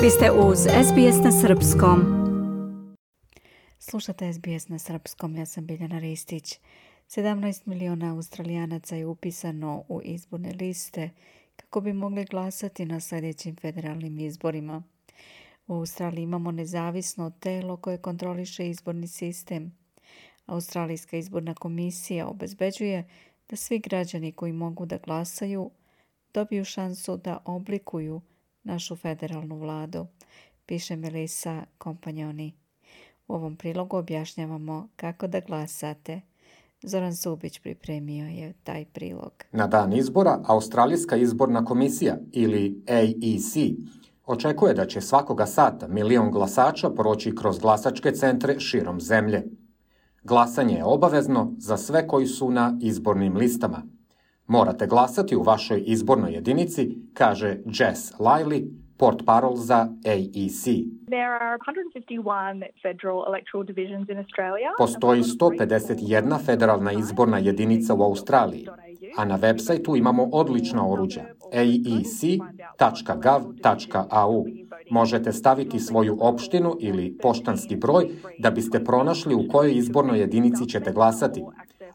Vi ste uz SBS na Srpskom. Slušate SBS na Srpskom, ja sam Biljana Ristić. 17 miliona Australijanaca je upisano u izborne liste kako bi mogli glasati na sljedećim federalnim izborima. U Australiji imamo nezavisno telo koje kontroliše izborni sistem. Australijska izborna komisija obezbeđuje da svi građani koji mogu da glasaju dobiju šansu da oblikuju našu federalnu vladu, piše Melissa Kompanjoni. U ovom prilogu objašnjavamo kako da glasate. Zoran Subić pripremio je taj prilog. Na dan izbora Australijska izborna komisija ili AEC očekuje da će svakoga sata 1 milion glasača proći kroz glasačke centre širom zemlje. Glasanje je obavezno za sve koji su na izbornim listama. Morate glasati u vašoj izbornoj jedinici, kaže Jess Liley, portparol za AEC. Postoji 151 federalna izborna jedinica u Australiji, a na websajtu imamo odlična oruđa aec.gov.au. Možete staviti svoju opštinu ili poštanski broj da biste pronašli u kojoj izbornoj jedinici ćete glasati.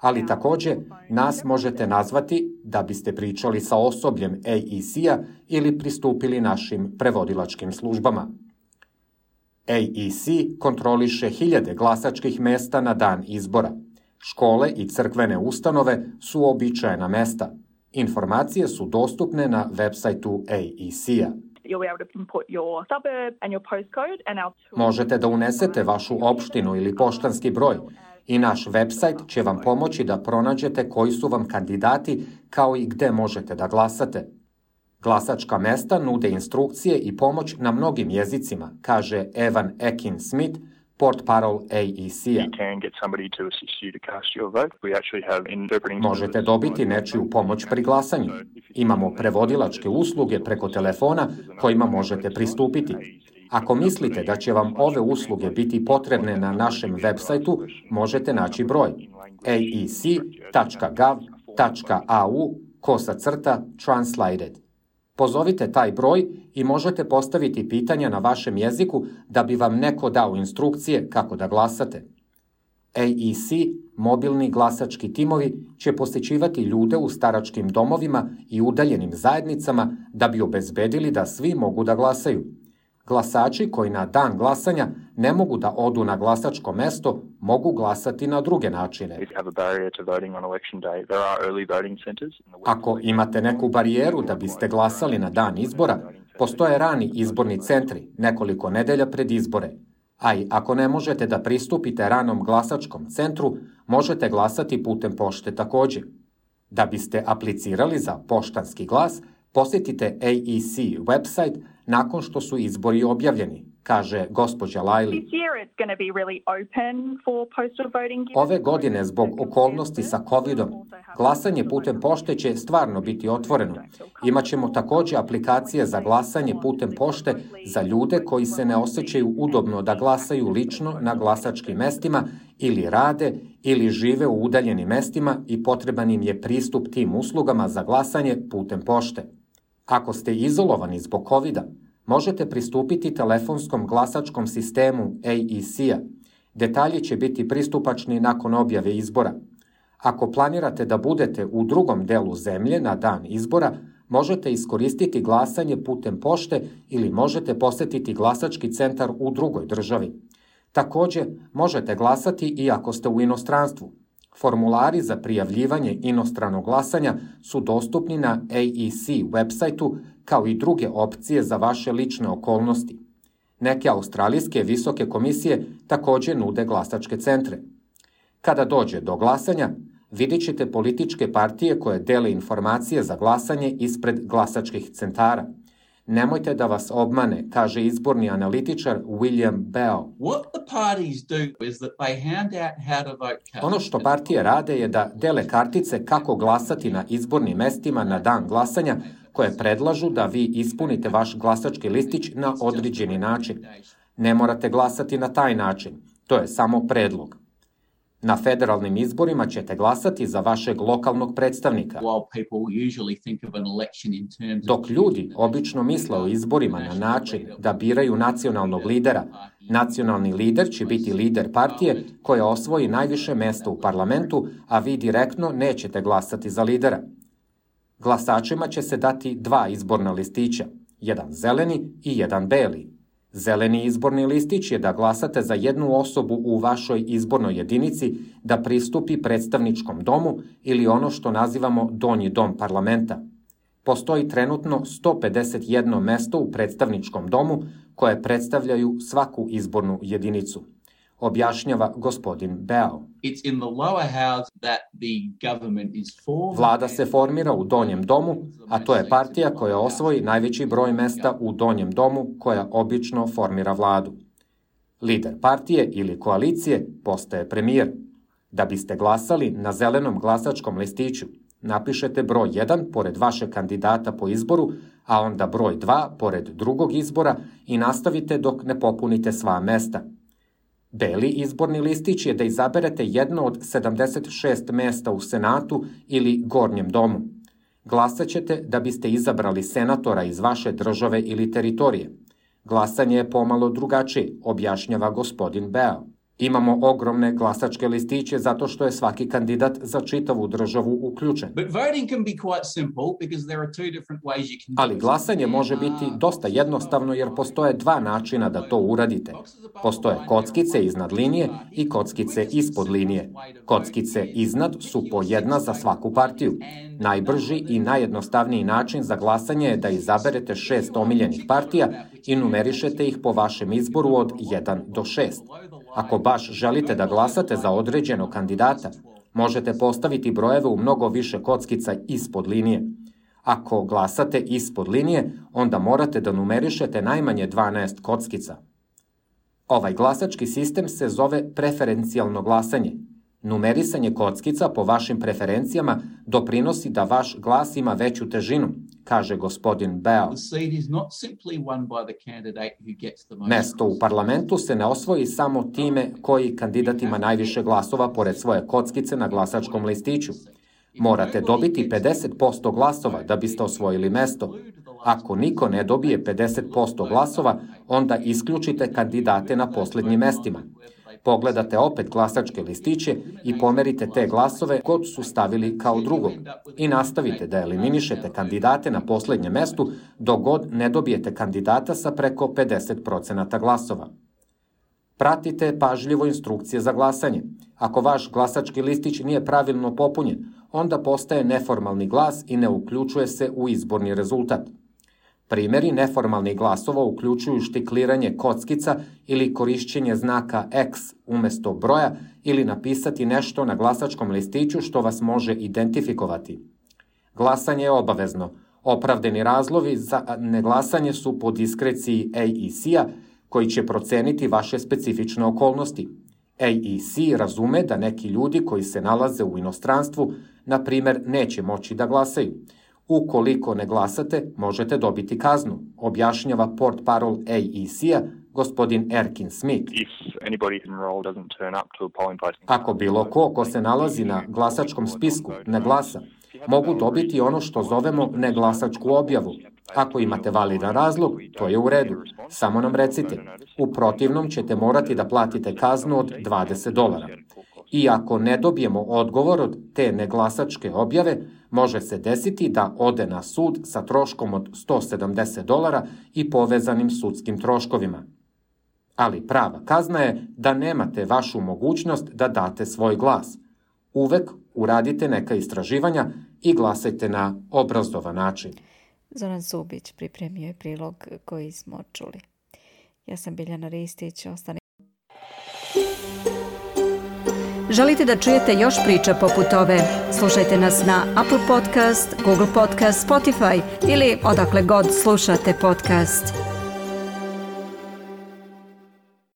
Ali također nas možete nazvati da biste pričali sa osobljem AEC-a ili pristupili našim prevodilačkim službama. AEC kontroliše 1000 glasačkih mesta na dan izbora. Škole i crkvene ustanove su uobičajena mesta. Informacije su dostupne na websajtu AEC-a. Možete da unesete vašu opštinu ili poštanski broj i naš website će vam pomoći da pronađete koji su vam kandidati kao i gde možete da glasate. Glasačka mesta nude instrukcije i pomoć na mnogim jezicima, kaže Evan Ekin-Smith, portparol AEC-a. Možete dobiti nečiju pomoć pri glasanju. Imamo prevodilačke usluge preko telefona kojima možete pristupiti. Ako mislite da će vam ove usluge biti potrebne na našem websajtu, možete naći broj aec.gov.au/translated. Pozovite taj broj i možete postaviti pitanja na vašem jeziku da bi vam neko dao instrukcije kako da glasate. AEC, mobilni glasački timovi, će posjećivati ljude u staračkim domovima i udaljenim zajednicama da bi obezbedili da svi mogu da glasaju. Glasači koji na dan glasanja ne mogu da odu na glasačko mesto, mogu glasati na druge načine. Ako imate neku barijeru da biste glasali na dan izbora, postoje rani izborni centri nekoliko nedelja pred izbore. A i ako ne možete da pristupite ranom glasačkom centru, možete glasati putem pošte također. Da biste aplicirali za poštanski glas, posjetite AEC website nakon što su izbori objavljeni, kaže gospođa Liley. Ove godine, zbog okolnosti sa COVID-om, glasanje putem pošte će stvarno biti otvoreno. Imaćemo također aplikacije za glasanje putem pošte za ljude koji se ne osjećaju udobno da glasaju lično na glasačkim mestima ili rade ili žive u udaljenim mestima i potreban im je pristup tim uslugama za glasanje putem pošte. Ako ste izolovani zbog COVID-a, možete pristupiti telefonskom glasačkom sistemu AEC-a. Detalji će biti pristupačni nakon objave izbora. Ako planirate da budete u drugom delu zemlje na dan izbora, možete iskoristiti glasanje putem pošte ili možete posjetiti glasački centar u drugoj državi. Također, možete glasati i ako ste u inostranstvu. Formulari za prijavljivanje inostranog glasanja su dostupni na AEC websajtu kao i druge opcije za vaše lične okolnosti. Neke australijske visoke komisije također nude glasačke centre. Kada dođe do glasanja, vidjet ćete političke partije koje dele informacije za glasanje ispred glasačkih centara. Nemojte da vas obmane, kaže izborni analitičar William Bell. Ono što partije rade je da dele kartice kako glasati na izbornim mestima na dan glasanja, koje predlažu da vi ispunite vaš glasački listić na određeni način. Ne morate glasati na taj način, to je samo predlog. Na federalnim izborima ćete glasati za vašeg lokalnog predstavnika. Dok ljudi obično misle o izborima na način da biraju nacionalnog lidera, nacionalni lider će biti lider partije koja osvoji najviše mesta u parlamentu, a vi direktno nećete glasati za lidera. Glasačima će se dati 2 izborna listića, jedan zeleni i jedan beli. Zeleni izborni listić je da glasate za jednu osobu u vašoj izbornoj jedinici da pristupi predstavničkom domu ili ono što nazivamo donji dom parlamenta. Postoji trenutno 151 mesto u predstavničkom domu koje predstavljaju svaku izbornu jedinicu, objašnjava gospodin Beao. Vlada se formira u donjem domu, a to je partija koja osvoji najveći broj mesta u donjem domu koja obično formira vladu. Lider partije ili koalicije postaje premijer. Da biste glasali na zelenom glasačkom listiću, napišete broj 1 pored vašeg kandidata po izboru, a onda broj 2 pored drugog izbora i nastavite dok ne popunite sva mesta. Beli izborni listić je da izaberete jedno od 76 mesta u Senatu ili Gornjem domu. Glasat ćete da biste izabrali senatora iz vaše države ili teritorije. Glasanje je pomalo drugačije, objašnjava gospodin Beao. Imamo ogromne glasačke listiće zato što je svaki kandidat za čitavu državu uključen. Ali glasanje može biti dosta jednostavno jer postoje 2 načina da to uradite. Postoje kockice iznad linije i kockice ispod linije. Kockice iznad su po 1 za svaku partiju. Najbrži i najjednostavniji način za glasanje je da izaberete 6 omiljenih partija i numerišete ih po vašem izboru od 1 do 6. Ako baš želite da glasate za određenog kandidata, možete postaviti brojeve u mnogo više kockica ispod linije. Ako glasate ispod linije, onda morate da numerišete najmanje 12 kockica. Ovaj glasački sistem se zove preferencijalno glasanje. Numerisanje kockica po vašim preferencijama doprinosi da vaš glas ima veću težinu, kaže gospodin Beao. Mesto u parlamentu se ne osvoji samo time koji kandidat ima najviše glasova pored svoje kockice na glasačkom listiću. Morate dobiti 50% glasova da biste osvojili mesto. Ako niko ne dobije 50% glasova, onda isključite kandidate na poslednjim mestima. Pogledate opet glasačke listiće i pomerite te glasove kod su stavili kao drugog i nastavite da eliminišete kandidate na poslednjem mestu dok god ne dobijete kandidata sa preko 50% glasova. Pratite pažljivo instrukcije za glasanje. Ako vaš glasački listić nije pravilno popunjen, onda postaje neformalni glas i ne uključuje se u izborni rezultat. Primjeri neformalnih glasova uključuju štikliranje kockica ili korišćenje znaka X umesto broja ili napisati nešto na glasačkom listiću što vas može identifikovati. Glasanje je obavezno. Opravdani razlozi za neglasanje su po diskreciji AEC-a koji će proceniti vaše specifične okolnosti. AEC razume da neki ljudi koji se nalaze u inostranstvu, na primer, neće moći da glasaju. Ukoliko ne glasate, možete dobiti kaznu, objašnjava portparol AEC-a, gospodin Erkin Smith. Ako bilo ko se nalazi na glasačkom spisku ne glasa, mogu dobiti ono što zovemo neglasačku objavu. Ako imate validan razlog, to je u redu. Samo nam recite. U protivnom ćete morati da platite kaznu od $20. I ako ne dobijemo odgovor od te neglasačke objave, može se desiti da ode na sud sa troškom od $170 i povezanim sudskim troškovima. Ali prava kazna je da nemate vašu mogućnost da date svoj glas. Uvek uradite neka istraživanja i glasajte na obrazovan način. Zoran Subić pripremio je prilog koji smo čuli. Ja sam Biljana Ristić, ostane. Želite da čujete još priča poput ove? Slušajte nas na Apple Podcast, Google Podcast, Spotify ili odakle god slušate podcast.